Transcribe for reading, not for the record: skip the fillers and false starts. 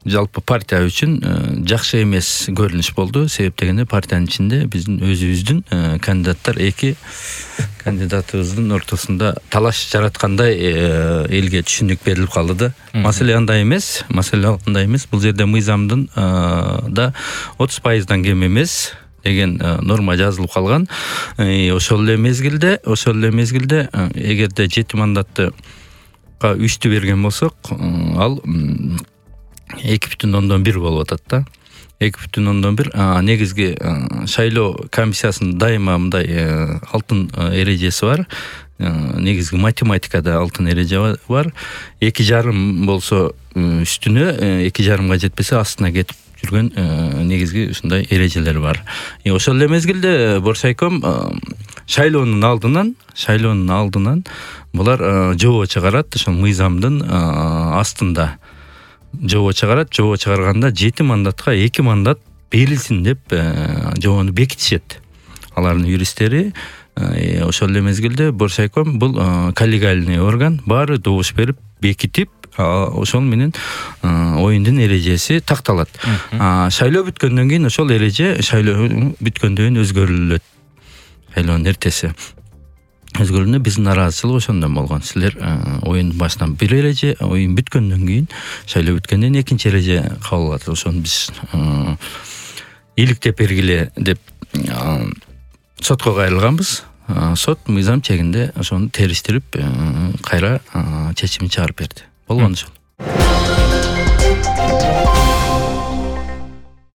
жалпы партия үчүн жакшы эмес көрүнүш болду. Себеп дегенде партиянын ичинде биздин өзүбүздүн кандидаттар эки кандидатыбыздын ортосунда талаш жараткандай элге түшүнүк берилип калды да. Маселе андай эмес. Бул жерде мыйзамдын да 30%дан кем эмес деген норма жазылып калган. Ошол эле мезгилде эгерде 7 мандатты 3-тү берген болсок, ал 2,1 болуп атат да. 2,1 негизги шайлоо комиссиясынын дайыма мындай алтын эрежеси бар. Негизги математикада алтын эреже бар. 2,5 болсо үстүнө, 2,5га жетпесе астына кетип жүргөн негизги ушундай эрежелер бар. Ошол эле мезгилде Боршайком шайлоонун алдынан булар жобо чыгарат, ошол мыйзамдын астында жобо чыгарат. Жобо чыгарганда 7 мандатка 2 мандат берилсин деп жобону бекитишет. Алардын юристтери. Ошол эле мезгилде Боршайком бул коллегиальный орган, баары добуш берип бекитип, ошол менен оюндун эрежеси такталат. Шайлоо бүткөндөн кийин ошол эреже шайлоо бүткөндөн кийин өзгөрүлөт. Шайлоонун эртеси өзгөрүлүнө биздин нараазычылык ошондон болгон. Силер оюндун башынан бир эреже, оюн бүткөндөн кийин, шайлоо бүткөндөн кийин экинчи эреже кабыл алат. Ошону биз иликтеп бергиле деп сотко кайрылганбыз. Сот мыйзам чегинде ошону териштирип, кайра чечимин чыгарып берди. Болгон ошол.